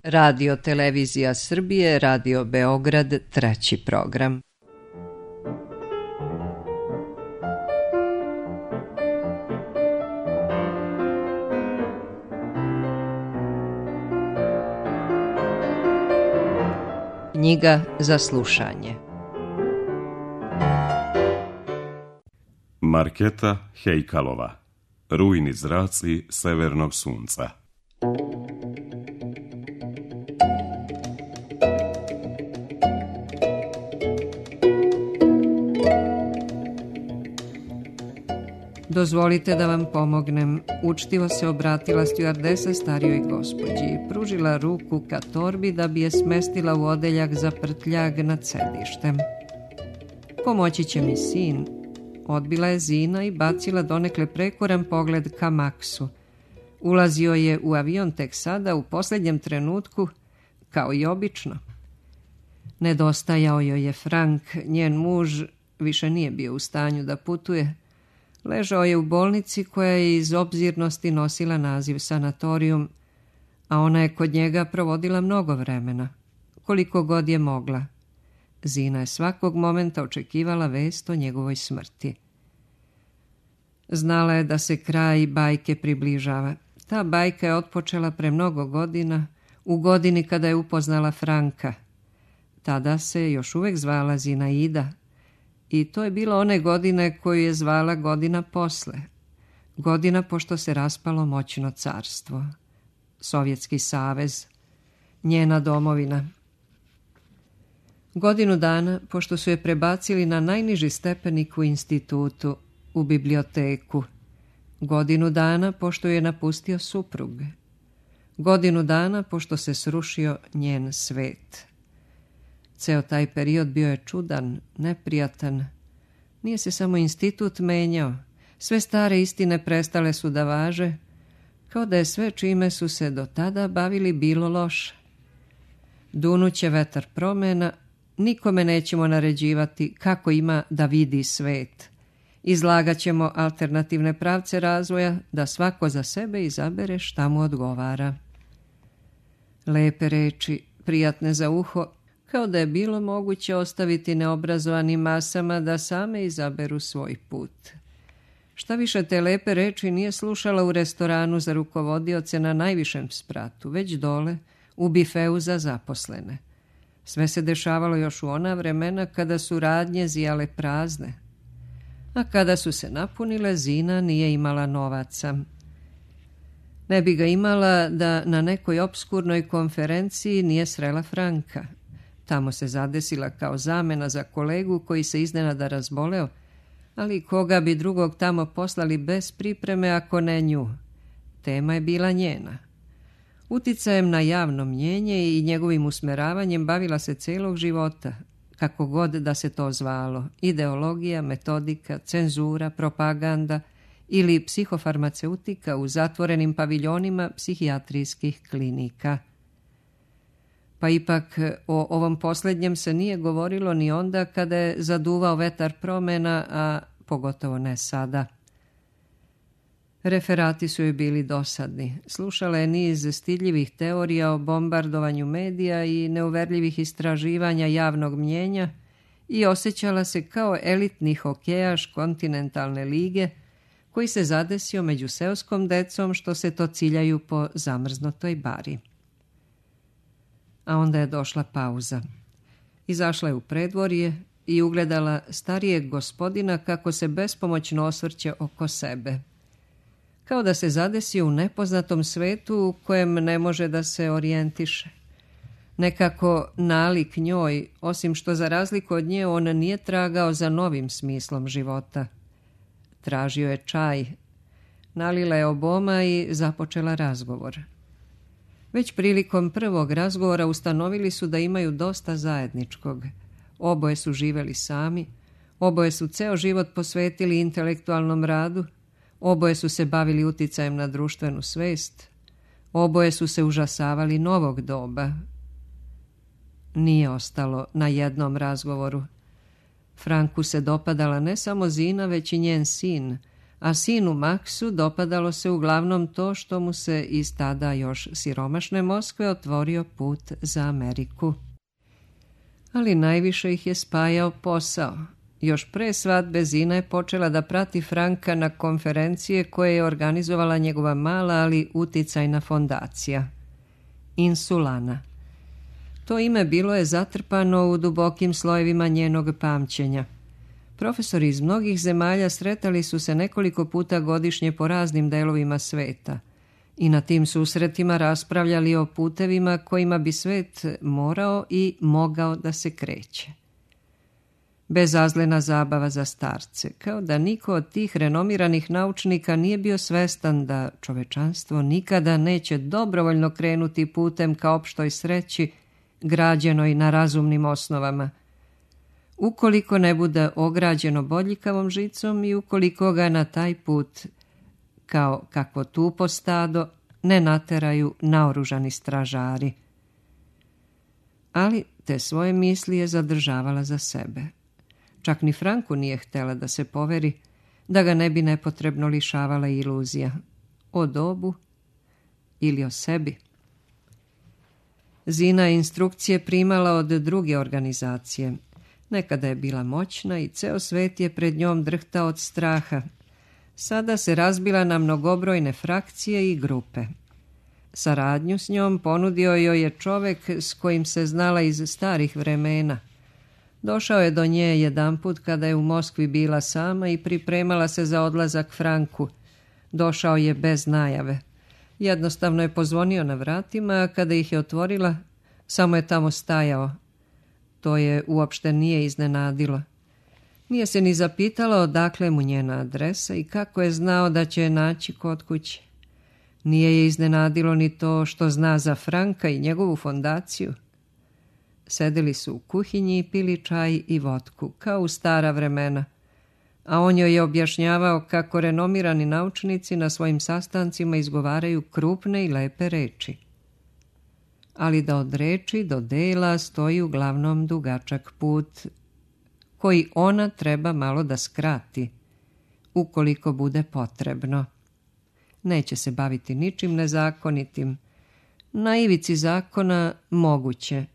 Radio Televizija Srbije, Radio Beograd, 3. program. Knjiga za slušanje. Marketa Hejkalova. Rujni zraci severnog sunca. Dozvolite da vam pomognem, učtivo se obratila stjuardesa starijoj gospođi i pružila ruku ka torbi da bi je smestila u odeljak za prtljag nad sedištem. Pomoći će mi sin, odbila je Zina i bacila donekle prekoran pogled ka Maksu. Ulazio je u avion tek sada, u posljednjem trenutku, kao i obično. Nedostajao joj je Frank, njen muž više nije bio u stanju da putuje. Ležao je u bolnici koja je iz obzirnosti nosila naziv sanatorijum, a ona je kod njega provodila mnogo vremena, koliko god je mogla. Zina je svakog momenta očekivala vest o njegovoj smrti. Znala je da se kraj bajke približava. Ta bajka je otpočela pre mnogo godina, u godini kada je upoznala Franka. Tada se još uvek zvala Zinaida. I to je bilo one godine koju je zvala godina posle. Godina pošto se raspalo moćno carstvo. Sovjetski savez. Njena domovina. Godinu dana pošto su je prebacili na najniži stepenik u institutu, u biblioteku. Godinu dana pošto je napustio suprug. Godinu dana pošto se srušio njen svet. Ceo taj period bio je čudan, neprijatan. Nije se samo institut menjao. Sve stare istine prestale su da važe, kao da je sve čime su se do tada bavili bilo loše. Dunuće vetar promena, nikome nećemo naređivati kako ima da vidi svet. Izlagat ćemo alternativne pravce razvoja da svako za sebe izabere šta mu odgovara. Lepe reči, prijatne za uho, kao da je bilo moguće ostaviti neobrazovanim masama da same izaberu svoj put. Šta više, te lepe reči nije slušala u restoranu za rukovodioce na najvišem spratu, već dole, u bifeu za zaposlene. Sve se dešavalo još u ona vremena kada su radnje zijale prazne. A kada su se napunile, Zina nije imala novaca. Ne bi ga imala da na nekoj opskurnoj konferenciji nije srela Franka. Tamo se zadesila kao zamena za kolegu koji se iznenada razboleo, ali koga bi drugog tamo poslali bez pripreme ako ne nju. Tema je bila njena. Uticajem na javno mnjenje i njegovim usmeravanjem bavila se celog života, kako god da se to zvalo, ideologija, metodika, cenzura, propaganda ili psihofarmaceutika u zatvorenim paviljonima psihijatrijskih klinika. Pa ipak o ovom posljednjem se nije govorilo ni onda kada je zaduvao vetar promena, a pogotovo ne sada. Referati su joj bili dosadni. Slušala je niz stidljivih teorija o bombardovanju medija i neuverljivih istraživanja javnog mnjenja i osjećala se kao elitni hokejaš kontinentalne lige koji se zadesio među seoskom decom što se to ciljaju po zamrznutoj bari. A onda je došla pauza. Izašla je u predvorje i ugledala starijeg gospodina kako se bespomoćno osvrće oko sebe. Kao da se zadesio u nepoznatom svetu u kojem ne može da se orijentiše. Nekako nalik njoj, osim što za razliku od nje on nije tragao za novim smislom života. Tražio je čaj. Nalila je oboma i započela razgovor. Već prilikom prvog razgovora ustanovili su da imaju dosta zajedničkog. Oboje su živeli sami, oboje su ceo život posvetili intelektualnom radu, oboje su se bavili uticajem na društvenu svest, oboje su se užasavali novog doba. Nije ostalo na jednom razgovoru. Franku se dopadala ne samo Zina, već i njen sin, a sinu Maksu dopadalo se uglavnom to što mu se iz tada još siromašne Moskve otvorio put za Ameriku. Ali najviše ih je spajao posao. Još pre svadbe Zina je počela da prati Franka na konferencije koje je organizovala njegova mala, ali uticajna fondacija. Insulana. To ime bilo je zatrpano u dubokim slojevima njenog pamćenja. Profesori iz mnogih zemalja sretali su se nekoliko puta godišnje po raznim delovima sveta i na tim susretima raspravljali o putevima kojima bi svet morao i mogao da se kreće. Bezazlena zabava za starce, kao da niko od tih renomiranih naučnika nije bio svestan da čovečanstvo nikada neće dobrovoljno krenuti putem ka opštoj sreći, građenoj na razumnim osnovama, ukoliko ne bude ograđeno bodljikavom žicom i ukoliko ga na taj put, kao kakvo tupo stado, ne nateraju naoružani stražari. Ali te svoje misli je zadržavala za sebe. Čak ni Franku nije htjela da se poveri, da ga ne bi nepotrebno lišavala iluzija o dobu ili o sebi. Zina je instrukcije primala od druge organizacije. Nekada je bila moćna i ceo svet je pred njom drhtao od straha. Sada se razbila na mnogobrojne frakcije i grupe. Saradnju s njom ponudio joj je čovek s kojim se znala iz starih vremena. Došao je do nje jedanput kada je u Moskvi bila sama i pripremala se za odlazak Franku. Došao je bez najave. Jednostavno je pozvonio na vratima, a kada ih je otvorila, samo je tamo stajao. To je uopšte nije iznenadilo. Nije se ni zapitala odakle mu njena adresa i kako je znao da će je naći kod kuće. Nije je iznenadilo ni to što zna za Franka i njegovu fondaciju. Sedeli su u kuhinji i pili čaj i vodku, kao u stara vremena, a on joj je objašnjavao kako renomirani naučnici na svojim sastancima izgovaraju krupne i lepe reči. Ali da od reči do dela stoji uglavnom dugačak put, koji ona treba malo da skrati, ukoliko bude potrebno. Neće se baviti ničim nezakonitim. Na ivici zakona moguće,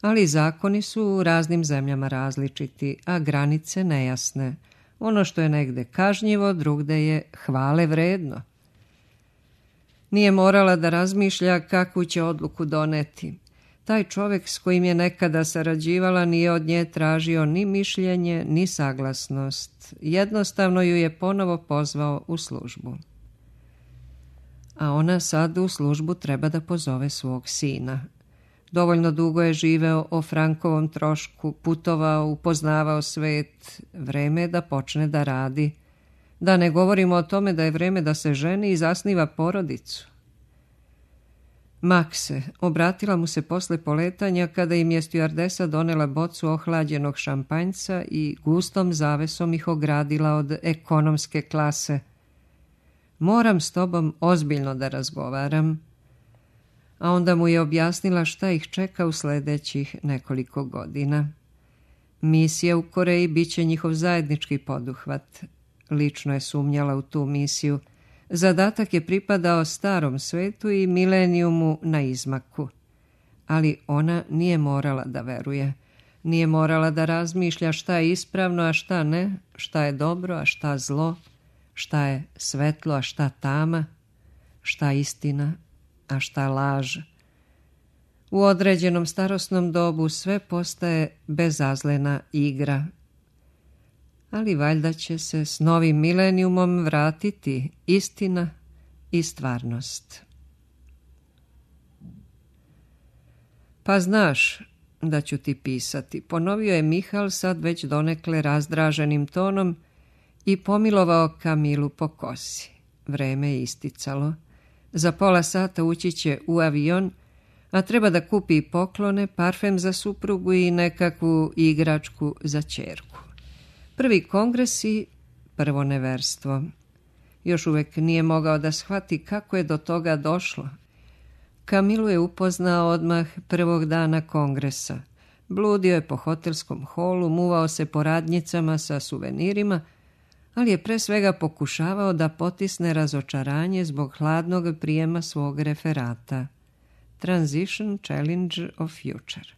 ali zakoni su u raznim zemljama različiti, a granice nejasne. Ono što je negde kažnjivo, drugde je hvale vredno. Nije morala da razmišlja kakvu će odluku doneti. Taj čovjek s kojim je nekada sarađivala nije od nje tražio ni mišljenje, ni saglasnost. Jednostavno ju je ponovo pozvao u službu. A ona sad u službu treba da pozove svog sina. Dovoljno dugo je živeo o Frankovom trošku, putovao, upoznavao svet. Vreme je da počne da radi. Da ne govorimo o tome da je vreme da se ženi i zasniva porodicu. Makse, obratila mu se posle poletanja kada im je stjuardesa donela bocu ohlađenog šampanjca i gustom zavesom ih ogradila od ekonomske klase. Moram s tobom ozbiljno da razgovaram. A onda mu je objasnila šta ih čeka u sledećih nekoliko godina. Misija u Koreji bit će njihov zajednički poduhvat. Lično je sumnjala u tu misiju. Zadatak je pripadao starom svetu i milenijumu na izmaku. Ali ona nije morala da veruje. Nije morala da razmišlja šta je ispravno, a šta ne, šta je dobro, a šta zlo, šta je svetlo, a šta tama, šta istina, a šta laž. U određenom starosnom dobu sve postaje bezazlena igra. Ali valjda će se s novim milenijumom vratiti istina i stvarnost. Pa znaš da ću ti pisati, ponovio je Mihal sad već donekle razdraženim tonom i pomilovao Kamilu po kosi. Vreme je isticalo. Za pola sata ući će u avion, a treba da kupi poklone, parfem za suprugu i nekakvu igračku za ćerku. Prvi kongres i prvo neverstvo. Još uvek nije mogao da shvati kako je do toga došlo. Kamilu je upoznao odmah prvog dana kongresa. Bludio je po hotelskom holu, muvao se po radnjicama sa suvenirima, ali je pre svega pokušavao da potisne razočaranje zbog hladnog prijema svog referata. Transition Challenge of Future.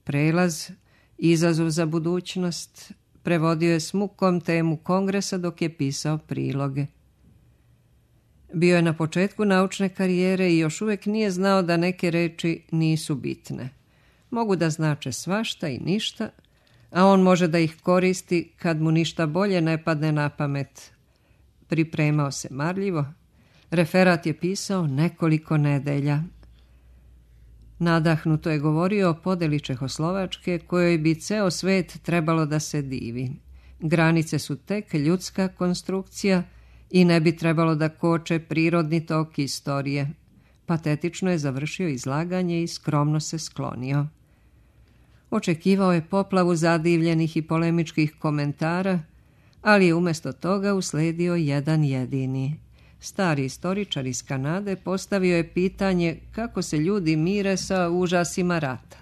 Prelaz, izazov za budućnost, prevodio je s mukom temu kongresa dok je pisao priloge. Bio je na početku naučne karijere i još uvijek nije znao da neke reči nisu bitne. Mogu da znače svašta i ništa, a on može da ih koristi kad mu ništa bolje ne padne na pamet. Pripremao se marljivo. Referat je pisao nekoliko nedelja. Nadahnuto je govorio o podeli Čehoslovačke kojoj bi ceo svet trebalo da se divi. Granice su tek ljudska konstrukcija i ne bi trebalo da koče prirodni tok istorije. Patetično je završio izlaganje i skromno se sklonio. Očekivao je poplavu zadivljenih i polemičkih komentara, ali je umjesto toga usledio jedan jedini. Stari istoričar iz Kanade postavio je pitanje kako se ljudi mire sa užasima rata.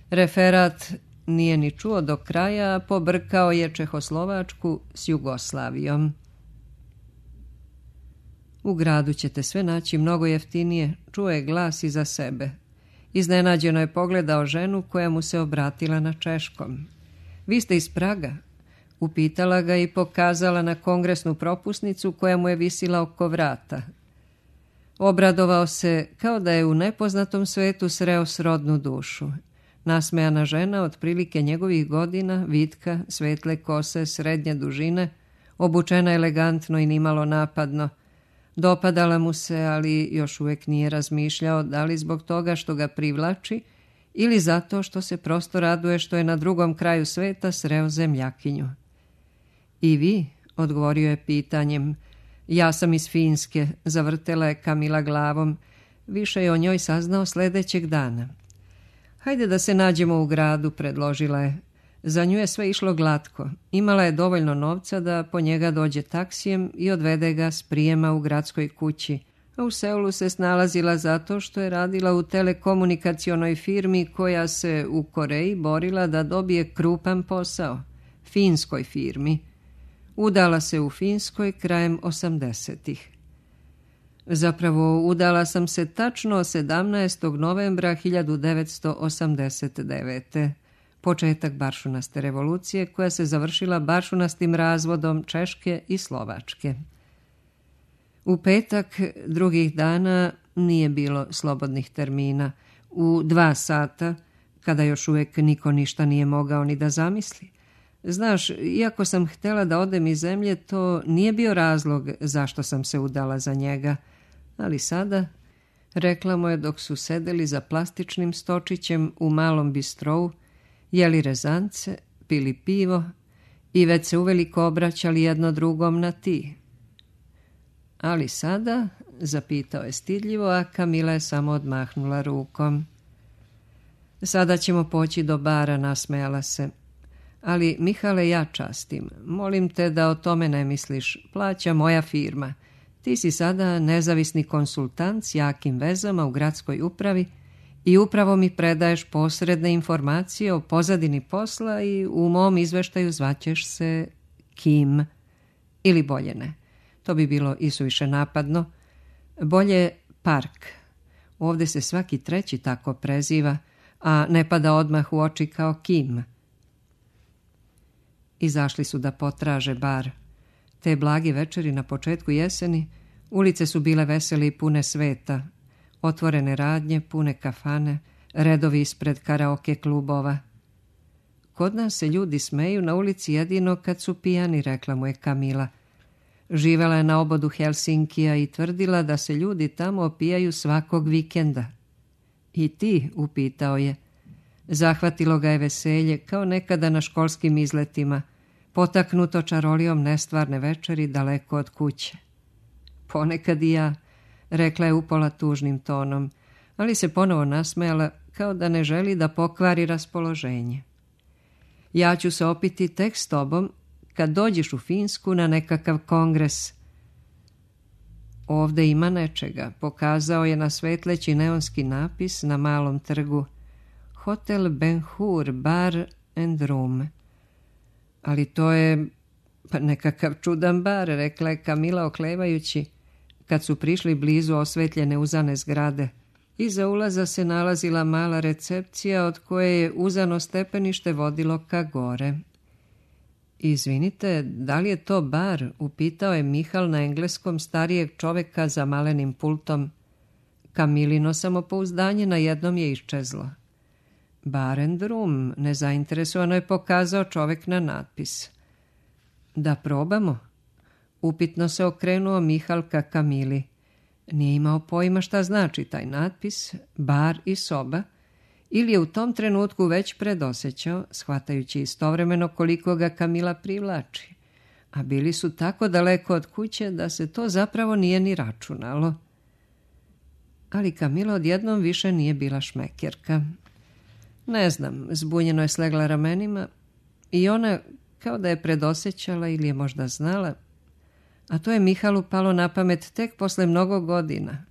Referat nije ni čuo do kraja, a pobrkao je Čehoslovačku s Jugoslavijom. U gradu ćete sve naći mnogo jeftinije, čuo je glas iza sebe. Iznenađeno je pogledao ženu koja mu se obratila na češkom. Vi ste iz Praga? Upitala ga i pokazala na kongresnu propusnicu koja mu je visila oko vrata. Obradovao se kao da je u nepoznatom svetu sreo srodnu dušu. Nasmejana žena, otprilike njegovih godina, vitka, svetle kose, srednje dužine, obučena elegantno i nimalo napadno. Dopadala mu se, ali još uvijek nije razmišljao da li zbog toga što ga privlači ili zato što se prosto raduje što je na drugom kraju sveta sreo zemljakinju. I vi, odgovorio je pitanjem. Ja sam iz Finske, zavrtela je Kamila glavom. Više je o njoj saznao sljedećeg dana. Hajde da se nađemo u gradu, predložila je. Za nju je sve išlo glatko. Imala je dovoljno novca da po njega dođe taksijem i odvede ga s prijema u gradskoj kući. A u Seulu se snalazila zato što je radila u telekomunikacionoj firmi koja se u Koreji borila da dobije krupan posao. Finskoj firmi. Udala se u Finskoj krajem 80-ih. Zapravo, udala sam se tačno 17. novembra 1989. Početak baršunaste revolucije koja se završila baršunastim razvodom Češke i Slovačke. U petak drugih dana nije bilo slobodnih termina. U 2 sata, kada još uvijek niko ništa nije mogao ni da zamisli. Znaš, iako sam htjela da odem iz zemlje, to nije bio razlog zašto sam se udala za njega. Ali sada, rekla mu je dok su sedeli za plastičnim stočićem u malom bistrovu, jeli rezance, pili pivo i već se uveliko obraćali jedno drugom na ti. Ali sada, zapitao je stidljivo, a Kamila je samo odmahnula rukom. Sada ćemo poći do bara, nasmejala se. Ali, Mihale, ja častim. Molim te da o tome ne misliš. Plaća moja firma. Ti si sada nezavisni konsultant s jakim vezama u gradskoj upravi i upravo mi predaješ posredne informacije o pozadini posla i u mom izveštaju zvaćeš se Kim. Ili bolje ne. To bi bilo isuviše napadno. Bolje Park. Ovdje se svaki treći tako preziva, a ne pada odmah u oči kao Kim. Izašli su da potraže bar. Te blage večeri na početku jeseni, ulice su bile vesele i pune sveta. Otvorene radnje, pune kafane, redovi ispred karaoke klubova. Kod nas se ljudi smeju na ulici jedino kad su pijani, rekla mu je Kamila. Živela je na obodu Helsinkija i tvrdila da se ljudi tamo opijaju svakog vikenda. I ti, upitao je. Zahvatilo ga je veselje kao nekada na školskim izletima, potaknuto čarolijom nestvarne večeri daleko od kuće. Ponekad i ja, rekla je upola tužnim tonom, ali se ponovo nasmejala kao da ne želi da pokvari raspoloženje. Ja ću se opiti tek s tobom kad dođeš u Finsku na nekakav kongres. Ovdje ima nečega, pokazao je na svetleći neonski napis na malom trgu. Hotel Ben Hur, bar and room. Ali to je Pa nekakav čudan bar, rekla je Kamila oklevajući, kad su prišli blizu osvetljene uzane zgrade. Iza ulaza se nalazila mala recepcija od koje je uzano stepenište vodilo ka gore. Izvinite, da li je to bar? Upitao je Mihal na engleskom starijeg čoveka za malenim pultom. Kamilino samopouzdanje na jednom je iščezlo. Bar and room, nezainteresovano je pokazao čovek na natpis. Da probamo? Upitno se okrenuo Mihal ka Kamili. Nije imao pojma šta znači taj natpis, bar i soba, ili je u tom trenutku već predosećao, shvatajući istovremeno koliko ga Kamila privlači. A bili su tako daleko od kuće da se to zapravo nije ni računalo. Ali Kamila odjednom više nije bila šmekerka. Ne znam, zbunjeno je slegla ramenima i ona kao da je predosećala ili je možda znala, a to je Mihalu palo na pamet tek posle mnogo godina.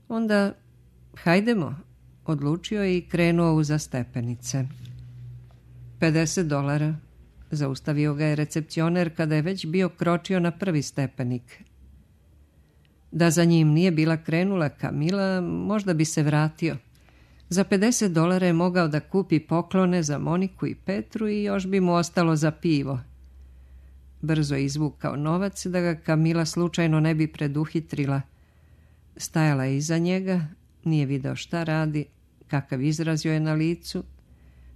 Onda, hajdemo, odlučio je i krenuo uza stepenice. $50, zaustavio ga je recepcioner kada je već bio kročio na prvi stepenik. Da za njim nije bila krenula Kamila, možda bi se vratio. Za $50 je mogao da kupi poklone za Moniku i Petru i još bi mu ostalo za pivo. Brzo je izvukao novac da ga Kamila slučajno ne bi preduhitrila. Stajala je iza njega, nije video šta radi, kakav izraz joj je na licu,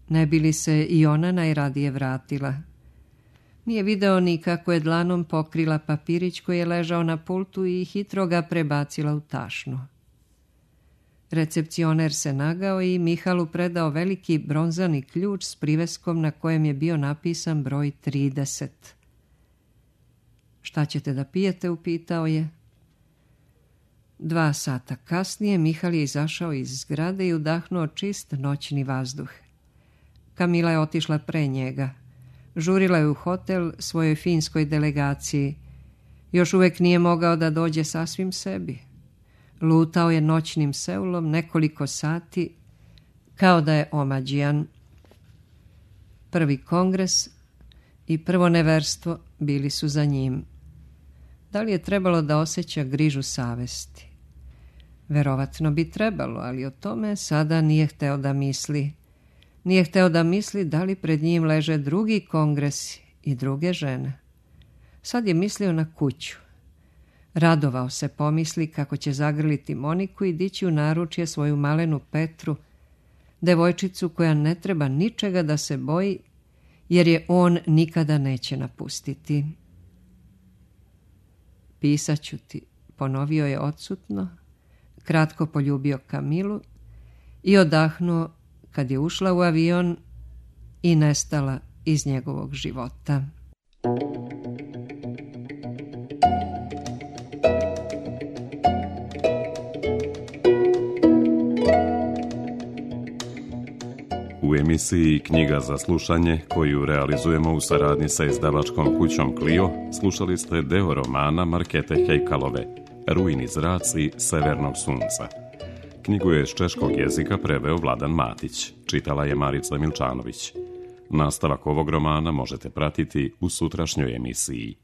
ne bi li se i ona najradije vratila. Nije video ni kako je dlanom pokrila papirić koji je ležao na pultu i hitro ga prebacila u tašnu. Recepcioner se nagao i Mihalu predao veliki bronzani ključ s priveskom na kojem je bio napisan broj 30. Šta ćete da pijete, upitao je. 2 sata kasnije Mihal je izašao iz zgrade i udahnuo čist noćni vazduh. Kamila je otišla pre njega. Žurila je u hotel svojoj finskoj delegaciji. Još uvek nije mogao da dođe sasvim sebi. Lutao je noćnim Seulom nekoliko sati, kao da je omađijan. Prvi kongres i prvo neverstvo bili su za njim. Da li je trebalo da osjeća grižu savesti? Verovatno bi trebalo, ali o tome sada nije hteo da misli. Nije hteo da misli da li pred njim leže drugi kongresi i druge žene. Sad je mislio na kuću. Radovao se pomisli kako će zagrliti Moniku i dići u naručje svoju malenu Petru, devojčicu koja ne treba ničega da se boji, jer je on nikada neće napustiti. Pisaću ti, ponovio je odsutno, kratko poljubio Kamilu i odahnuo kad je ušla u avion i nestala iz njegovog života. U emisiji Knjiga za slušanje, koju realizujemo u saradnji sa izdavačkom kućom Clio, slušali ste deo romana Markete Hejkalove, Rujni zraci severnog sunca. Knjigu je s češkog jezika preveo Vladan Matić, čitala je Marica Milčanović. Nastavak ovog romana možete pratiti u sutrašnjoj emisiji.